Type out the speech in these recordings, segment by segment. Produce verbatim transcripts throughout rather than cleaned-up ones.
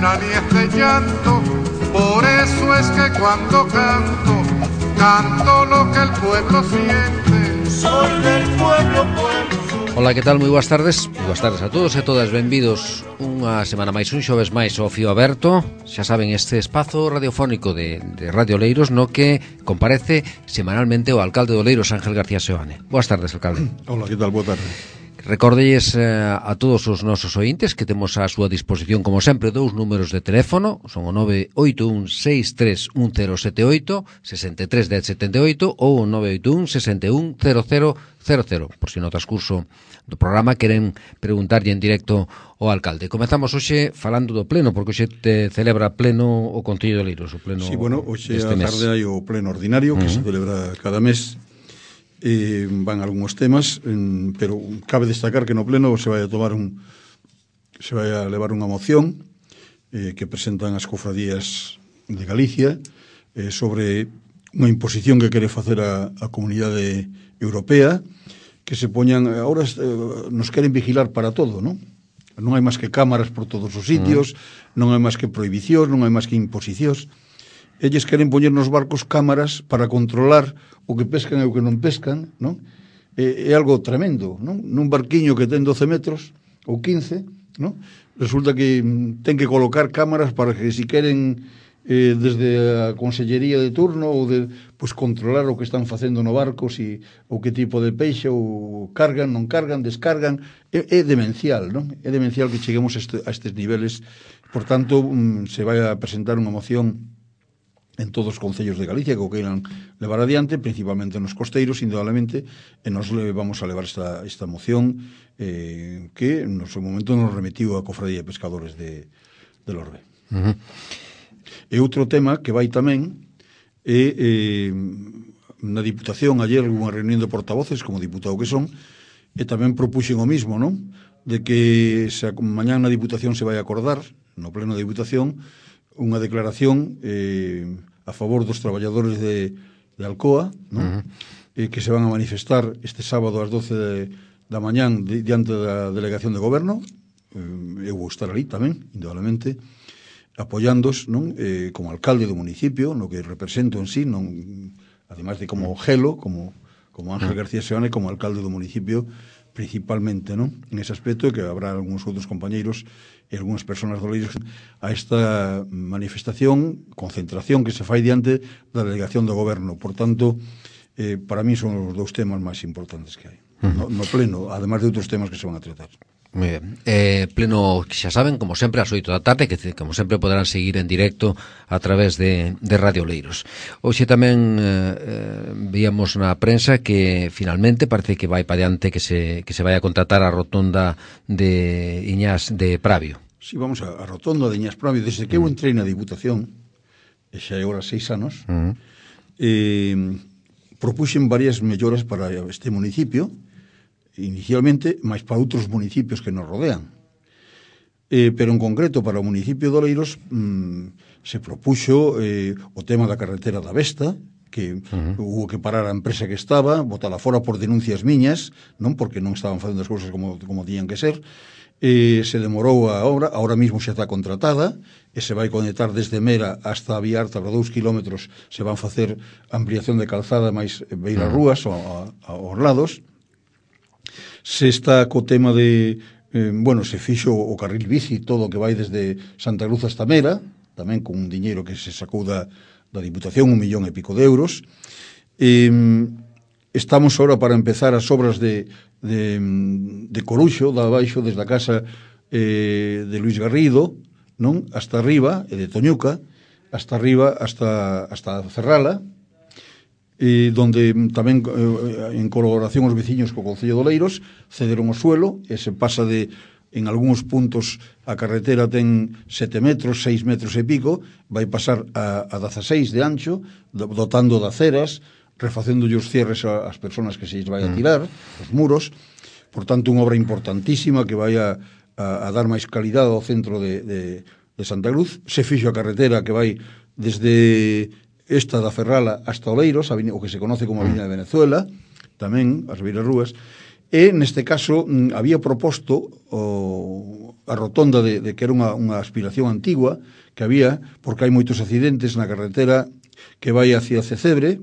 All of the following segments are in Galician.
pena ni este llanto. Por eso es que cuando canto, canto lo que el pueblo siente. Soy del pueblo, pueblo. Ola, que tal? Moi boas tardes. Moi boas tardes a todos e todas. Benvidos unha semana máis, un xoves máis ao Fío Aberto. Xa saben, este espazo radiofónico de, de Radio Oleiros no que comparece semanalmente o alcalde de Oleiros, Ángel García Seoane. Boas tardes, alcalde. Hola, que tal? Boa tarde. Recordelles eh, a todos os nosos ointes que temos á súa disposición, como sempre, dous números de teléfono. Son o nove oito un seis tres un cero sete oito, sesenta e tres dez setenta e oito ou o nove oito un sesenta e un cero cero cero cero, por si no transcurso do programa queren preguntarlle en directo ao alcalde. Comezamos hoxe falando do pleno, porque hoxe te celebra pleno o Concello de Oleiros, o pleno. Sí, bueno, hoxe a tarde hai o pleno ordinario que uh-huh. se celebra cada mes. Eh, van algúns temas, en, pero cabe destacar que no pleno se vai a tomar un se vai a levar unha moción eh, que presentan as cofradías de Galicia eh, sobre unha imposición que quere facer a, a Comunidade Europea, que se poñan, agora eh, nos queren vigilar para todo, non? Non hai máis que cámaras por todos os sitios, mm. non hai máis que prohibicións, non hai máis que imposicións. Eles queren poñer nos barcos cámaras para controlar o que pescan e o que non pescan, non? É, é algo tremendo, non? Nun barquiño que ten doce metros ou quince, non? Resulta que ten que colocar cámaras para que si queren eh, desde a consellería de turno ou de, pues, controlar o que están facendo no barco, si ou que tipo de peixe ou cargan, non cargan, descargan. É, é demencial, non? É demencial que cheguemos a, este, a estes niveles. Por tanto, mm, se vai a presentar unha moción en todos os concellos de Galicia que o queiran levar adiante, principalmente nos costeiros, indudablemente, e nos le vamos a levar esta, esta moción eh, que no seu momento nos remitiu a Cofradía de Pescadores de, de Lorbe. Uh-huh. E outro tema que vai tamén é eh, na Diputación, ayer unha reunión de portavoces, como diputado que son, e tamén propuxen o mismo, non? De que se, mañán na Diputación se vai a acordar, no pleno de Diputación, unha declaración eh, a favor dos traballadores de, de Alcoa, ¿no? Uh-huh. eh, que se van a manifestar este sábado ás doce de, da mañán di, diante da delegación de goberno. Eh, eu vou estar ali tamén, indudablemente, apoiándos, non? Eh, como alcalde do municipio, no que represento en sí, non, ademais de como gelo, como, como Ángel García Seoane, como alcalde do municipio, principalmente, non? En ese aspecto, que habrá algúns outros compañeiros e algúnas persoas do Oleiros a esta manifestación, concentración que se fai diante da delegación do goberno. Por tanto, eh, para mí son os dous temas máis importantes que hai. Uh-huh. No, no pleno, además de outros temas que se van a tratar. Moi ben. Eh, pleno, xa saben, como sempre, ás oito da tarde, que como sempre poderán seguir en directo a través de, de Radio Oleiros. Hoxe tamén eh, víamos na prensa que finalmente parece que vai para diante que se, que se vai a contratar a rotonda de Iñás de Pravio. Sí, vamos a, a rotonda de Iñás Pravio. Desde que eu entrei na Diputación, e xa é agora seis anos, uh-huh. eh, propuxen varias melloras para este municipio, inicialmente, máis para outros municipios que nos rodean. Eh, pero en concreto para o municipio de Oleiros mmm, se propuxo eh, o tema da carretera da Vesta, que uh-huh. hubo que parar a empresa que estaba, botala fora por denuncias miñas, non porque non estaban facendo as cousas como, como tiñan que ser. Eh, se demorou a obra, ahora mismo xa está contratada, e se vai conectar desde Mera hasta a Vía Arta para dous kilómetros, se van facer ampliación de calzada máis beira rúas ou aos lados. Se está co tema de, eh, bueno, se fixo o carril bici, todo o que vai desde Santa Cruz hasta Mera, tamén con un diñeiro que se sacou da, da Diputación, un millón e pico de euros. Eh, estamos ahora para empezar as obras de, de, de Coruxo, da abaixo, desde a casa eh, de Luis Garrido, non? Hasta arriba, e de Toñuca, hasta arriba, hasta, hasta Ferrala, e donde tamén eh, en colaboración os veciños co Concello de Oleiros cederon o suelo e se pasa de, en algúns puntos a carretera ten sete metros, seis metros e pico, vai pasar a, a dezaseis de ancho, dotando de aceras, refacendo os cierres ás persoas que se lles vai a tirar, os muros. Por tanto, unha obra importantísima que vai a, a, a dar máis calidade ao centro de, de, de Santa Cruz. Se fixo a carretera que vai desde esta da Ferrala hasta Oleiros, o que se conoce como Avenida de Venezuela, tamén as beiras rúas, e neste caso había proposto o, a rotonda de, de que era unha, unha aspiración antigua que había, porque hai moitos accidentes na carretera que vai hacia Cecebre,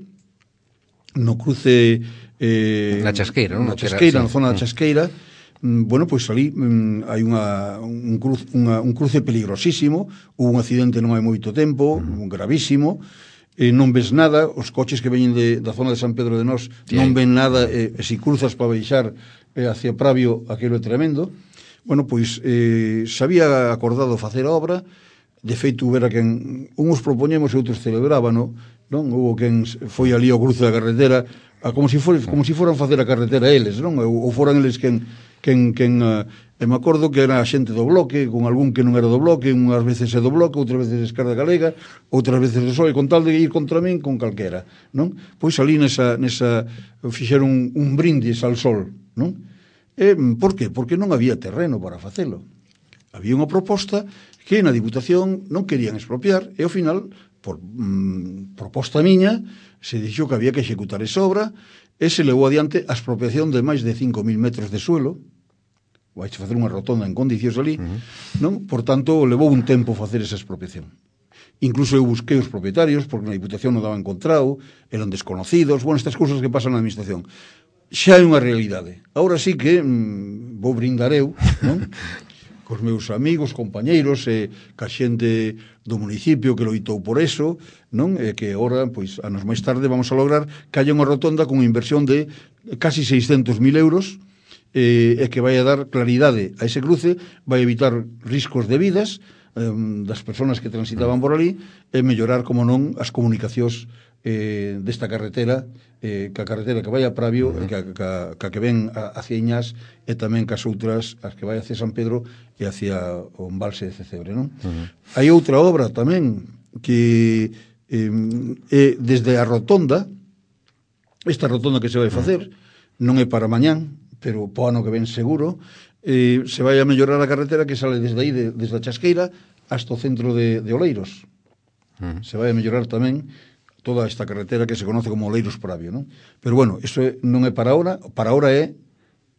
no cruce eh, na Chasqueira, non? Na Chasqueira, Era, na zona sí. da Chasqueira. Mm, bueno, pois ali mm, hai unha, un, cruce, unha, un cruce peligrosísimo, hubo un accidente non hai moito tempo, uh-huh. un gravísimo, e non ves nada, os coches que veñen de, da zona de San Pedro de Nós sí. non ven nada, e, e si cruzas para baixar eh, hacia Pravio, aquilo é tremendo. Bueno, pois eh, se había acordado facer a obra, de feito hubiera quen uns propoñemos e outros celebrábano, non? Hubo quen foi ali ao cruce da carretera a como si for, como si foran facer a carretera eles, non? Ou, ou foran eles quen quen quen uh, e me acordo que era a xente do bloque, con algún que non era do bloque, unhas veces é do bloque, outras veces é Esquerda Galega, outras veces do P S O E, con tal de ir contra min con calquera, non? Pois ali nesa nesa fixeron un, un brindis al sol, non? E por que? Porque non había terreno para facelo. Había unha proposta que na Diputación non querían expropiar e ao final, por mm, proposta miña, se dixo que había que executar esa obra e se levou adiante a expropiación de máis de cinco mil metros de suelo. Vais facer unha rotonda en condicións ali, uh-huh. non? Por tanto, levou un tempo facer esa expropiación. Incluso eu busquei os propietarios porque na Diputación non daba encontrado, eran desconocidos, bueno, estas cousas que pasan na Administración. Xa é unha realidade. Agora sí que mm, vou brindar eu, non? Cos meus amigos, compañeiros e ca xente do municipio que loitou por eso, non? E que agora, pois, anos máis tarde vamos a lograr que haya unha rotonda con inversión de casi seiscentos mil euros e, e que vai a dar claridade a ese cruce, vai evitar riscos de vidas eh, das persoas que transitaban por ali e mellorar, como non, as comunicacións eh, desta carretera, eh, ca carretera que vai a Pravio, uh-huh. ca, ca, ca que ven hacia Iñás e tamén cas outras, as que vai hacia San Pedro e hacia o embalse de Cecebre, non? Uh-huh. Hai outra obra tamén que eh, eh, desde a rotonda, esta rotonda que se vai facer, non é para mañán, pero po ano que ven seguro, eh, se vai a mellorar a carretera que sale desde aí, de, desde a Chasqueira hasta o centro de, de Oleiros. Uh-huh. Se vai a mellorar tamén toda esta carretera que se conoce como Oleiros Pravio, non? Pero bueno, iso é, non é para ahora, para ahora é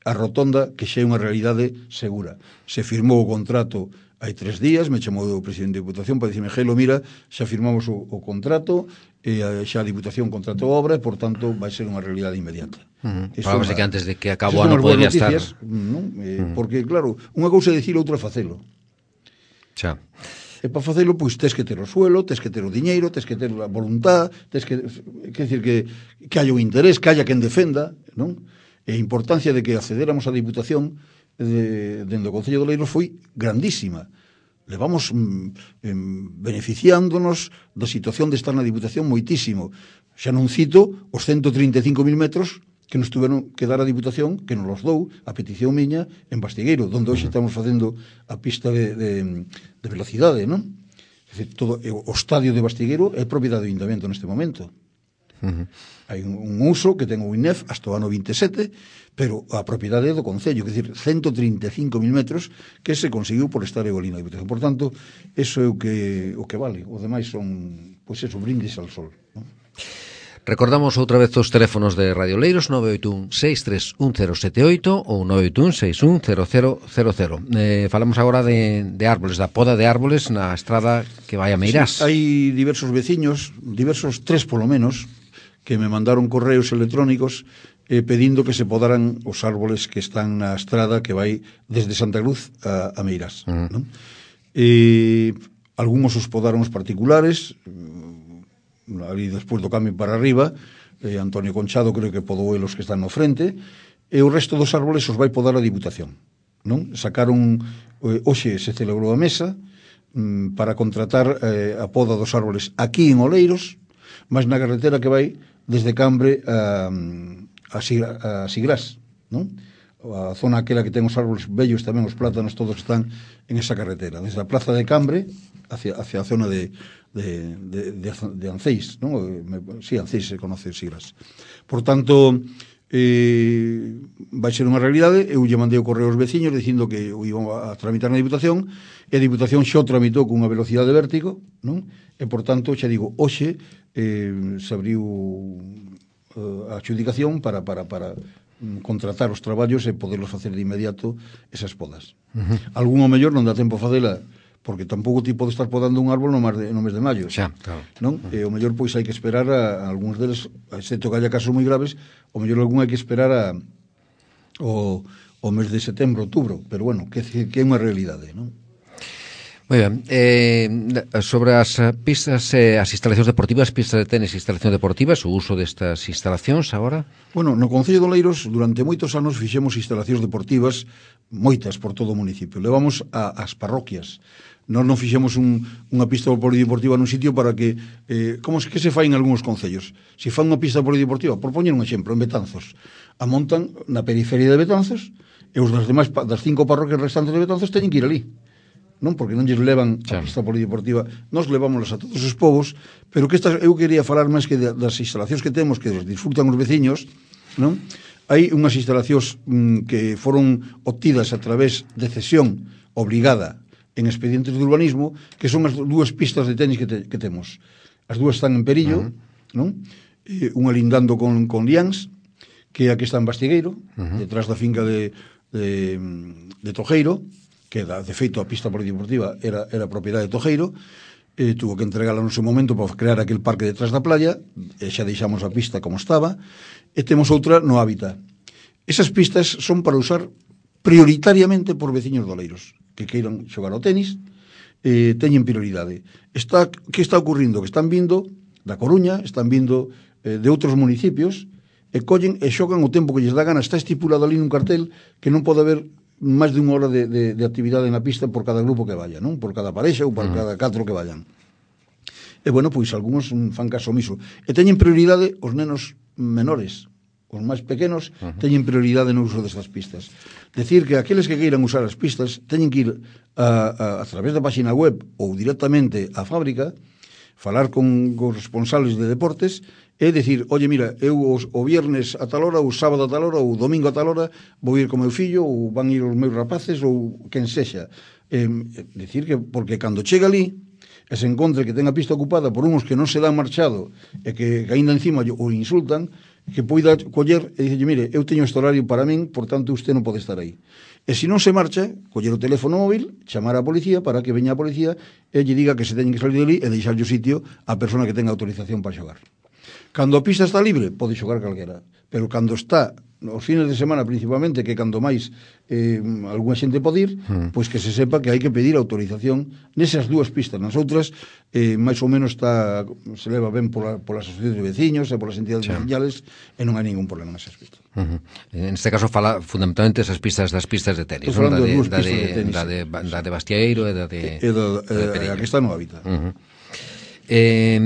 a rotonda que xa é unha realidade segura. Se firmou o contrato hai tres días, me chamou o presidente da Diputación para dicirme, Gelo, mira, xa firmamos o, o contrato, e xa a Diputación contratou a obra e, por tanto, vai ser unha realidade inmediata. Uh-huh. Falamos de que antes de que acabe o ano podría estar... Non? Eh, uh-huh. Porque, claro, unha cousa é dicir, outra é facelo. Xa. E para facelo, pois, tes que ter o suelo, tes que ter o diñeiro, tes que ter a voluntad, tes que... Quer decir, que, que haya un interés, que haya quen defenda, non? E a importancia de que accedéramos á Diputación de, dentro do Concello de Oleiros foi grandísima. Levamos mm, beneficiándonos da situación de estar na Diputación moitísimo. Xa non cito os ciento trinta e cinco mil metros que nos tuveron que dar a Diputación, que nos los dou, a petición miña, en Bastigueiro, onde hoxe estamos facendo a pista de, de, de velocidade, non? É dicir, todo, o estadio de Bastigueiro é propiedade do Ayuntamiento neste momento. Uh-huh. Hai un, un uso que ten o I N E F hasta o ano vinte e sete, pero a propiedade é do Concello, que é dicir, ciento trinta e cinco mil metros que se conseguiu por estar eolina a Diputación. Por tanto, eso é o que, o que vale. O demais son, pois, eso, brindis al sol, non? Recordamos outra vez os teléfonos de Radio Oleiros, nove oito un seis tres un cero sete oito ou nove oito un seis un cero cero cero cero. Eh, falamos agora de, de árboles, da poda de árboles na estrada que vai a Meirás. Sí, hai diversos veciños, diversos tres polo menos, que me mandaron correos electrónicos eh, pedindo que se podaran os árboles que están na estrada que vai desde Santa Cruz a, a Meirás. Uh-huh. ¿No? E algúns os podaron os particulares, ali despois do cambio para arriba, eh, Antonio Conchado creo que podou elos que están no frente, e o resto dos árboles os vai podar a Diputación, non? Sacaron, eh, hoxe se celebrou a mesa mm, para contratar eh, a poda dos árboles aquí en Oleiros, mas na carretera que vai desde Cambre a, a, a Sigrás, non? A zona aquela que ten os árboles bellos, tamén os plátanos, todos están en esa carretera, desde a plaza de Cambre hacia, hacia a zona de de, de, de, de Anceis, ¿no? Sí, Anceis se conoce Sigras. Por tanto, eh, vai ser unha realidade. Eu lle mandei o correo aos veciños dicindo que o iban a tramitar na Diputación, e a Diputación xa o tramitou con unha velocidade de vértigo, non? E, por tanto, xa digo, hoxe eh, se abriu uh, a adjudicación para, para, para contratar os traballos e poderlos facer de inmediato esas podas. Uh-huh. Algún ao mellor non dá tempo a facela porque tampouco ti pode estar podando un árbol no, mar de, no mes de maio. Xa, claro. Non? Uh-huh. E o mellor pois hai que esperar a, a algúns deles, excepto que haya casos moi graves, o mellor algún hai que esperar a o, o mes de setembro, outubro, pero bueno, que, que é unha realidade, non? Moi ben, eh, sobre as pistas, eh, as instalacións deportivas, pistas de tenis e instalacións deportivas, o uso destas instalacións agora? Bueno, no Concello de Oleiros durante moitos anos fixemos instalacións deportivas, moitas por todo o municipio. Levamos a, as parroquias. Nós non fixemos un, unha pista polideportiva nun sitio para que, eh, como que se fai en algúns concellos. Se fan unha pista polideportiva, por poñer un exemplo, en Betanzos, a montan na periferia de Betanzos e os das demais, das cinco parroquias restantes de Betanzos teñen que ir ali. Non, porque non lles levan a pista polideportiva, nós levámoslas a todos os povos, pero que estas, eu quería falar máis que das instalacións que temos, que disfrutan os veciños, non? Hai unhas instalacións mm, que foron obtidas a través de cesión obligada en expedientes de urbanismo, que son as dúas pistas de tenis que, te, que temos. As dúas están en Perillo, uh-huh. non? E unha lindando con, con Liáns, que aquí está en Bastigueiro, uh-huh. detrás da finca de, de, de Tojeiro, que de feito a pista polideportiva era, era propiedade de Tojeiro, e tuvo que entregala no seu momento para crear aquel parque detrás da playa, e xa deixamos a pista como estaba, e temos outra no hábitat. Esas pistas son para usar prioritariamente por veciños de Oleiros, que queiran xogar ao tenis, eh, teñen prioridade. Está, que está ocurrindo? Que están vindo da Coruña, están vindo eh, de outros municipios, e collen e xogan o tempo que lles dá gana. Está estipulado ali nun cartel que non pode haber máis de unha hora de, de, de actividade na pista por cada grupo que vaya, non? Por cada parexa ou por uh-huh. cada catro que vayan. E, bueno, pois, algúns fan caso omiso. E teñen prioridade os nenos menores, os máis pequenos, uh-huh. teñen prioridade no uso destas pistas. Decir que aqueles que queiran usar as pistas teñen que ir a, a, a través da página web ou directamente á fábrica, falar con os responsables de deportes e decir, oye, mira, eu os, o viernes a tal hora, o sábado a tal hora, ou domingo a tal hora, vou ir co meu fillo, ou van ir os meus rapaces, ou quen sexa. Eh, decir que, porque cando chega ali, e se encontre que ten a pista ocupada por uns que non se dan marchado, e que, que ainda encima o insultan, que poida coller e dicir, mire, eu teño este horario para min, por tanto, usted non pode estar aí. E se non se marcha, coller o teléfono móvil, chamar a policía para que veña a policía e lle diga que se teñen que salir de ali e deixarlle o sitio a persona que tenga autorización para xogar. Cando a pista está libre, pode xogar calquera, pero cando está os fines de semana principalmente, que cando máis eh, algunha xente pode ir, mm. pois que se sepa que hai que pedir autorización nesas dúas pistas. Nas outras, eh, máis ou menos está, se leva ben pola, polas asociacións de veciños e polas entidades sí. veciñales e non hai ningún problema nesas pistas. Uh-huh. En este caso fala fundamentalmente esas pistas das pistas de tenis, non? Da de, da, de, de tenis, da, de, da de Bastieiro e da de, e da, e da, a que está no hábitat. Uh-huh. Eh,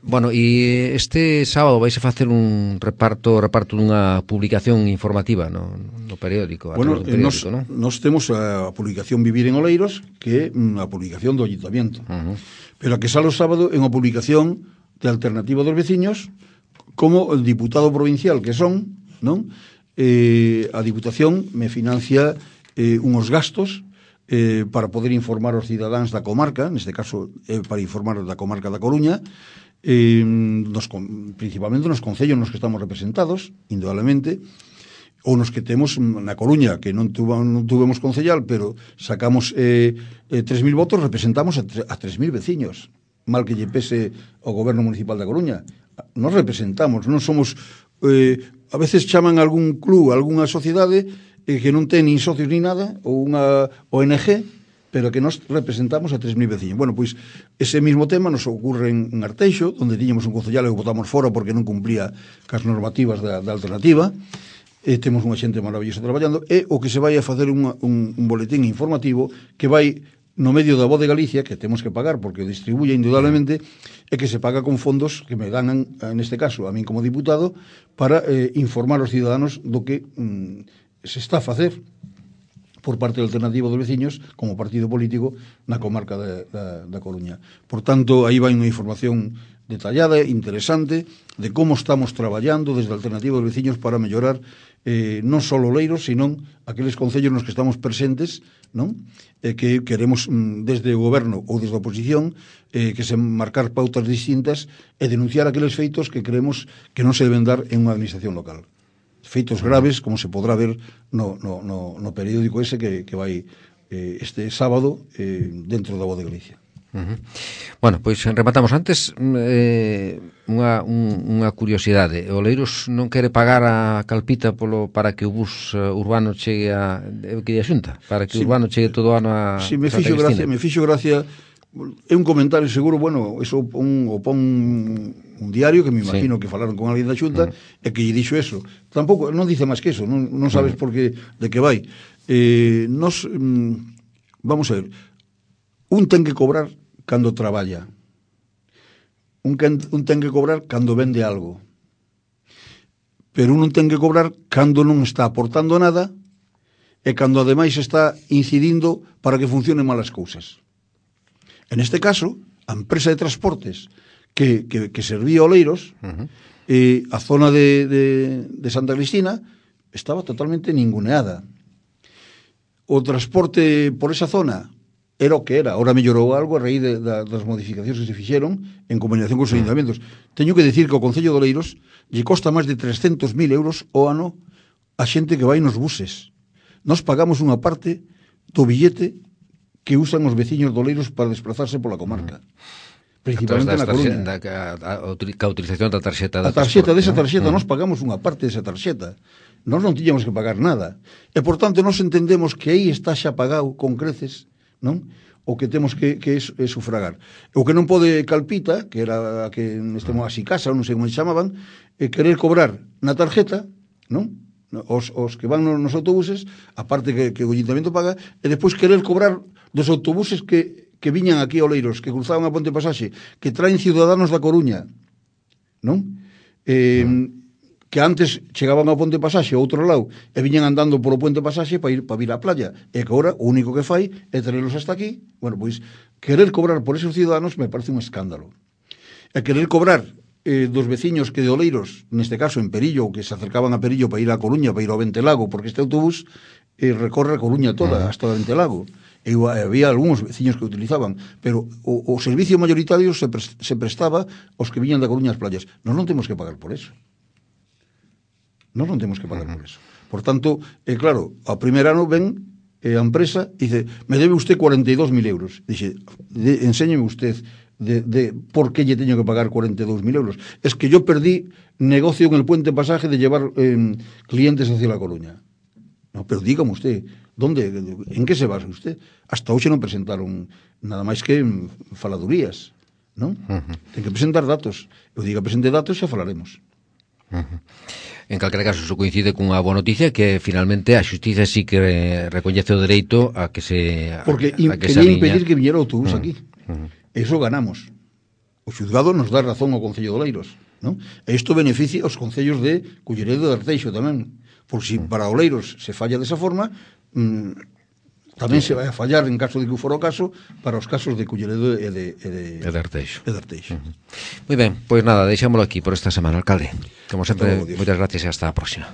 bueno, e este sábado vais a facer un reparto reparto dunha publicación informativa no, no periódico, a bueno, periódico, nos, ¿no? nos temos a publicación Vivir en Oleiros, que é a publicación do Ayuntamiento, uh-huh. pero a que sale o sábado é unha publicación de Alternativa dos Veciños, como el diputado provincial que son, non? Eh, a Diputación me financia eh, unos gastos Eh, para poder informar aos cidadáns da comarca, neste caso eh, para informar da comarca da Coruña, eh, nos, principalmente nos concellos nos que estamos representados, indudablemente, ou nos que temos na Coruña, que non, tuvo, non tuvemos concellal, pero sacamos eh, eh, tres mil votos, representamos a, a tres mil veciños, mal que lle pese ao goberno municipal da Coruña. Nos representamos, non somos... Eh, a veces chaman algún club, algunha sociedade que non ten nin socios ni nada, ou unha O N G, pero que nos representamos a tres mil veciños. Bueno, pois, ese mismo tema nos ocurre en Arteixo, onde tiñamos un concellal e o votamos fora porque non cumplía cas normativas da, da alternativa, e temos unha xente maravillosa traballando, e o que se vai a facer unha, un, un boletín informativo que vai no medio da Voz de Galicia, que temos que pagar porque o distribuye indudablemente, e que se paga con fondos que me dan, neste caso, a min como diputado, para eh, informar aos ciudadanos do que... Mm, se está a facer por parte da Alternativa dos Veciños como partido político na comarca de, da, da Coruña. Por tanto, aí vai unha información detallada, interesante, de como estamos traballando desde a Alternativa dos Veciños para mellorar eh, non só Oleiros, sino aqueles concellos nos que estamos presentes non? E que queremos desde o goberno ou desde a oposición eh, que se marcar pautas distintas e denunciar aqueles feitos que creemos que non se deben dar en unha administración local. Feitos graves, como se podrá ver no, no, no, no periódico ese que, que vai eh, este sábado eh, dentro da Voz de Galicia. Uh-huh. Bueno, pois rematamos antes eh, unha, un, unha curiosidade. O Oleiros non quere pagar a Calpita polo, para que o bus uh, urbano chegue a que a Xunta, para que o sí, urbano chegue todo o ano a sí, me fixo gracia, me fixo gracia. É un comentario seguro, bueno, eso un, o pon un diario que me imagino sí. que falaron con alguén da Xunta uh-huh. e que lle dixo eso. Tampouco, non dice máis que eso, non, non sabes uh-huh. por que, de que vai. Eh, nos, mm, vamos a ver, un ten que cobrar cando traballa. Un, can, un ten que cobrar cando vende algo. Pero un non ten que cobrar cando non está aportando nada e cando ademais está incidindo para que funcionen mal as cousas. En este caso, a empresa de transportes que, que, que servía Oleiros, uh-huh. eh, a zona de, de, de Santa Cristina estaba totalmente ninguneada. O transporte por esa zona era o que era, ahora mellorou algo a raíz de, de, das modificacións que se fixeron en combinación con os ayuntamentos. Teño que decir que o Concello de Oleiros lle costa máis de trescentos mil euros o ano a xente que vai nos buses. Nos pagamos unha parte do billete que usan os veciños de Oleiros para desplazarse pola comarca. Principalmente na Coruña. Da, a, a, a utilización da tarxeta da A tarxeta desa tarxeta, ¿no? Nos pagamos unha parte desa tarxeta. Nós non tiñamos que pagar nada. E, por tanto, nos entendemos que aí está xa pagado con creces, non? O que temos que, que es, é sufragar. O que non pode Calpita, que era a que nestemos así casa, non sei como se chamaban, é querer cobrar na tarjeta, non? Os, os que van nos autobuses, aparte que, que o ayuntamiento paga, e despois querer cobrar dos autobuses que, que viñan aquí a Oleiros, que cruzaban a Ponte Pasaxe, que traen ciudadanos da Coruña, non? Eh, que antes chegaban ao Ponte Pasaxe ao outro lado e viñan andando polo Puente Pasaxe para ir para vir á playa, e que agora o único que fai é traerlos hasta aquí. Bueno, pois querer cobrar por esos ciudadanos me parece un escándalo. E querer cobrar eh, dos veciños que de Oleiros, neste caso en Perillo, que se acercaban a Perillo para ir a Coruña, para ir ao Ventelago, porque este autobús eh, recorre a Coruña toda, uh-huh. hasta o Ventelago. E había algúns veciños que utilizaban, pero o, o servicio mayoritario se, pre, se prestaba aos que viñan da Coruña ás playas. Nós non temos que pagar por eso. Nós non temos que pagar uh-huh. por eso. Por tanto, eh, claro, ao primer ano ven eh, a empresa e dice, me debe usted cuarenta y dos mil euros. Dice, de, enséñeme usted de, de por qué lle teño que pagar cuarenta y dos mil euros. Es que yo perdí negocio en el Puente Pasaje de llevar eh, clientes hacia La Coruña. No, pero dígame usted, ¿dónde, en qué se basa usted? Hasta hoxe non presentaron nada máis que faladurías, non? Uh-huh. Ten que presentar datos. Eu diga, presente datos e xa falaremos. Uh-huh. En calquera caso, iso coincide cunha boa noticia, que finalmente a xustiza sí que recoñece o dereito a que se a, porque a que quería impedir que viñera o autobús uh-huh. aquí. Uh-huh. Eso ganamos. O xuzgado nos dá razón ao Concello de Oleiros, non? E isto beneficia aos concellos de Culleredo e de Arteixo tamén. Por si para Oleiros se falla desa forma, mmm, tamén se vai a fallar en caso de que fora o caso para os casos de Culleredo e de, e de, e de Arteixo. E de Arteixo. Uh-huh. Moi ben, pois nada, deixámoslo aquí por esta semana, alcalde. Como sempre, moitas gracias e hasta a próxima.